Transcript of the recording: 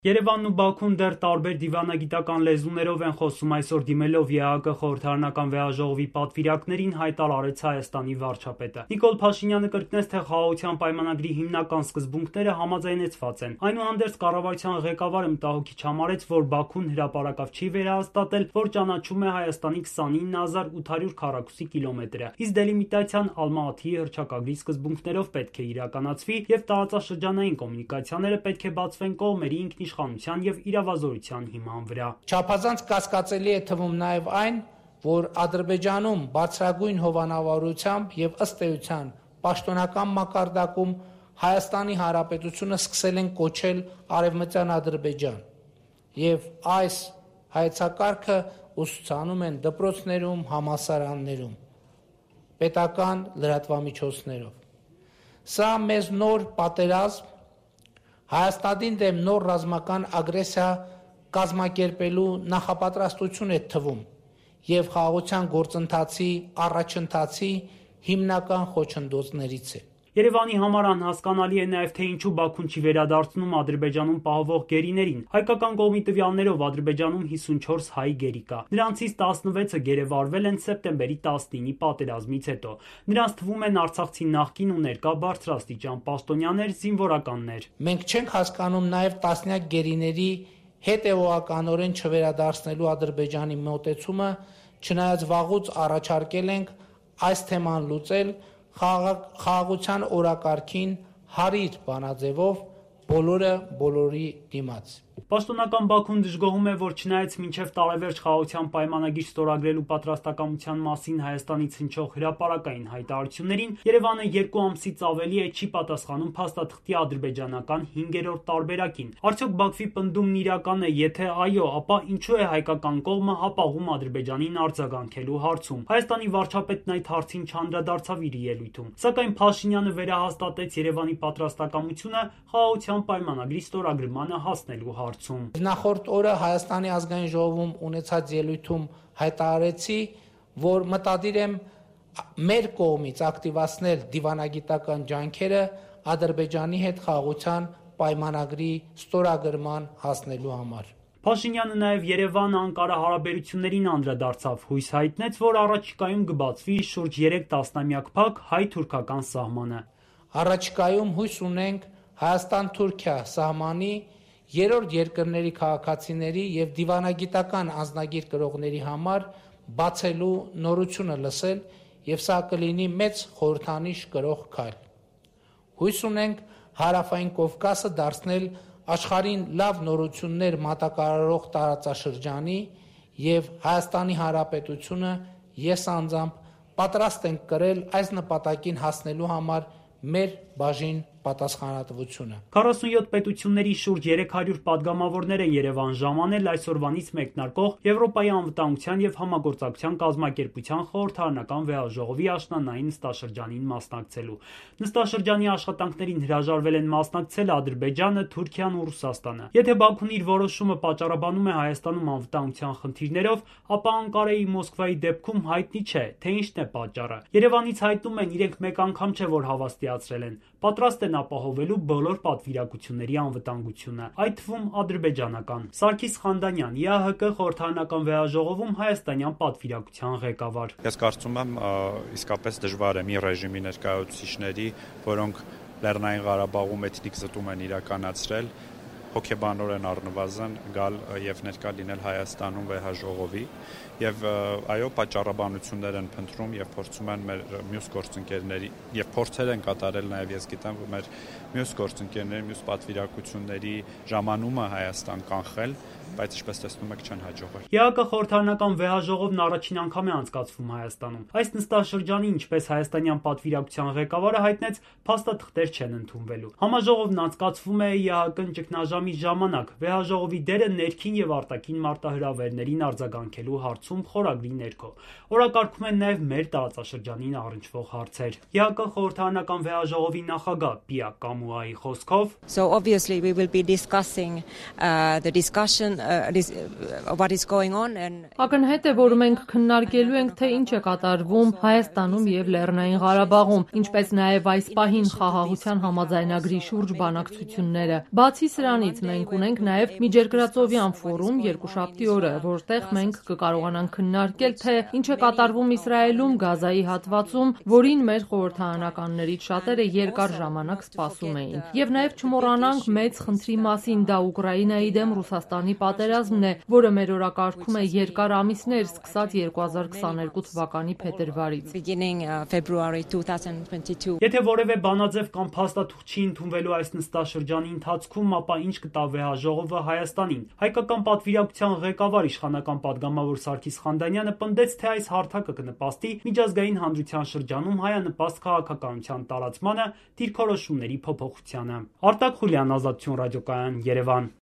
Երևանն ու Բաքուն դեռ տարբեր դիվանագիտական լեզուներով են խոսում այսօր դիմելով ԵԱՀԿ խորհրդարանական վեհաժողովի պատվիրակներին հայտարարեց Հայաստանի վարչապետը։ Նիկոլ Փաշինյանը կրկնեց, թե խաղաղության պայմանագրի հիմնական սկզբունքները համաձայնեցված են։ Այնուհանդերձ կառավարության ղեկավարը մտահոգիչ համարեց, որ Բաքուն հրապարակավ չի վերահաստատել, որ ճանաչում է Հայաստանի 29800 քառակուսի կիլոմետրը, իսկ դելիմիտացիան Ալմատիի հռչակագրի սկզբունքներով պետք է իրականացվի եւ տարածաշրջանային կոմունիկացիաները պետք է բացվեն կողմերի ինքնիշխանության եւ իրավազորության հիման վրա։ Չափազանց կասկածելի է թվում նաեւ այն, որ Ադրբեջանում բարձրագույն հովանավորությամբ եւ ըստ էության պաշտոնական մակարդակում Հայաստանի Հանրապետությունը սկսել են կոչել Արևմտյան Ադրբեջան եւ այս հայեցակարգը ուսուցանում են դպրոցներում, համալսարաններում, պետական լրատվամիջոցներով։ Սա մեզ նոր պատերազմ, Հայաստանի դեմ նոր ռազմական ագրեսիա կազմակերպելու նախապատրաստություն է թվում եւ խաղաղության գործընթացի առաջընթացի հիմնական խոչընդոտներից է։ Երևանի համար անհասկանալի է նաև, թե ինչու Բաքուն չի վերադարձնում Ադրբեջանում պահվող գերիներին։ Հայկական կողմի տվյալներով Ադրբեջանում 54 հայ գերի կա։ Նրանցից 16-ը գերեվարվել են սեպտեմբերի 19-ի պատերազմից հետո։ Նրանց թվում են արցախցի նախկին ու ներկա բարձրաստիճան պաշտոնյաներ, զինվորականներ։ Մենք չենք հասկանում նաև տասնյակ գերիների հետևողականորեն չվերադարձնելու Ադրբեջանի մոտեցումը, չնայած վաղուց առաջարկել ենք այս թեման լուծել խաղաղության օրակարգին հարիր բանաձևով բոլորի դիմաց։ Պաշտոնական Բաքուն դժգոհում է, որ չնայած մինչև տարեվերջ խաղաղության պայմանագիր ստորագրելու պատրաստակամության մասին Հայաստանից հնչող հրապարակային հայտարարություններին, Երևանը 2 ամսից ավելի է չի պատասխանում փաստաթղթի ադրբեջանական 5-րդ տարբերակին։ Արդյոք Բաքվի պնդումն իրական է, եթե այո, ապա ինչու է հայկական կողմը հապաղում Ադրբեջանին արձագանքելու հարցում։ Հայաստանի վարչապետն այդ հարցին չանդրադարձավ իր ելույթում, սակայն Փաշինյանը վերահաստատեց Երևանի պատրաստակամությունը խաղաղության պայմանագրի ստորագրմանը հասնելու հարցում։ Նախորդ օրը Հայաստանի ազգային ժողովում ունեցած ելույթում հայտարարեցի, որ մտադիր եմ մեր կողմից ակտիվացնել դիվանագիտական ջանքերը Ադրբեջանի հետ խաղաղության պայմանագրի ստորագրման հասնելու համար։ Փաշինյանը նաև Երևան-Անկարա հարաբերություններին անդրադարձավ, հույս հայտնեց, որ առաջիկայում կբացվի շուրջ 3 տասնամյակ փակ հայ-թուրքական սահմանը։ Առաջիկայում հույս ունենք Հայաստան-Թուրքիա սահմանի երրորդ երկրների քաղաքացիների եւ դիվանագիտական անձնագիր կրողների համար բացելու նորությունը լսել եւ սա կլինի մեծ խորհրդանիշ կրող քայլ։ Հույս ունենք Հարավային Կովկասը դարձնել աշխարհին լավ նորություններ մատակարարող տարածաշրջանի եւ Հայաստանի Հանրապետությունը ես անձամբ պատրաստ ենք կրել այս նպատակին հասնելու համար մեր բաժին պատասխանատվությունը։ 47 պետությունների շուրջ 300 падգամավորներ են Երևան ժամանել այսօրվանից մեկնարկող Եվրոպայի անվտանգության եւ համագործակցության կազմակերպության խորհրդարանական վեհաժողովի աշնանային նստաշրջանին մասնակցելու։ Նստաշրջանի աշխատանքներին հրաժարվել են մասնակցել Ադրբեջանը, Թուրքիան ու Ռուսաստանը։ Եթե Բաքուն իր որոշումը պատճառաբանում է Հայաստանում անվտանգության խնդիրներով, ապա Անկարայի Մոսկվայի դեպքում հայտնի չէ, թե ինչն է պատճառը։ Երևանից հայտնում են իրենք մեկ անգամ չէ, որ հավաստիացրել են, պատրաստ են ապահովելու բոլոր պատվիրակությունների անվտանգությունը, այդ թվում ադրբեջանական։ Սարգիս Խանդանյան, ԵԱՀԿ խորհրդարանական վեհաժողովում հայաստանյան պատվիրակության ղեկավար։ Ես կարծում եմ իսկապես դժվար է մի ռեժիմի ներկայացուցիչների, որոնք Լեռնային Ղարաբաղում էթնիկ զտում են իրականացրել, հոգեբանորեն առնվազն գալ եւ ներկա լինել Հայաստանում վեհաժողովի եւ այո պատճառաբանություններ են փնտրում եւ փորձում են մեր մյուս գործընկերների եւ փորձեր են կատարել նաեւ ես գիտեմ որ մեր մյուս գործընկերների մյուս պատվիրակությունների ժամանումը Հայաստան կանխել, բայց ինչպես տեսնում եք չեն հաջողվել։ ԵԱՀԿ խորհրդարանական վեհաժողովն առաջին անգամ է անցկացվում Հայաստանում։ Այս նստաշրջանի, ինչպես հայաստանյան պատվիրակության ղեկավարը հայտնեց, փաստաթղթեր չեն ընդունվելու։ Համաժողովն անցկացվում է ԵԱՀԿ ճգնաժամի ժամանակ։ Վեհաժողովի դերը ներքին եւ արտաքին մարտահրավերներին արձագանքելու հարցում խորագրի ներքո։ Օրակարգում են նաեւ մեր տարածաշրջանին առնչվող հարցեր։ ԵԱՀԿ խորհրդարանական վեհաժողովի նախագահ Պիա Կամուայի խոսքով So obviously we will be discussing the discussion what is going on Ակնհայտ է, որ մենք քննարկելու ենք, թե ինչ է կատարվում Հայաստանում եւ Լեռնային Ղարաբաղում, ինչպես նաեւ այս պահին խաղաղության համաձայնագրի շուրջ բանակցությունները։ Բացի սրանից, մենք ունենք նաեւ միջերկրածովյան ֆորում երկուշաբթի օրը, որտեղ մենք կկարողանանք քննարկել, թե ինչ է կատարվում Իսրայելում Գազայի հատվածում, որին մեր խորհրդարանականներից շատերը երկար ժամանակ սպասում էին։ Եվ նաեւ չմոռանանք մեծ խնդրի մասին, դա Ուկրաինայի դեմ Ռուսաստանի պատերազմն է, որը մեր օրակարգում է երկար ամիսներ, սկսած 2022 թվականի փետրվարից։ Եթե որևէ բանաձև կամ փաստաթուղթ չի ընդունվելու այս նստաշրջանի ընթացքում, ապա ինչ կտա վեհաժողովը Հայաստանին։ Հայկական պատվիրակության ղեկավար իշխանական պատգամավոր Սարգիս Խանդանյանը պնդեց, թե այս հարթակը կնպաստի միջազգային հանրության շրջանում հայանպաստ քաղաքականության տարածմանը, դիրքորոշումների փոփոխությանը։ Արտակ Խուլյան, Ազատություն ռադիոկայան, Երևան։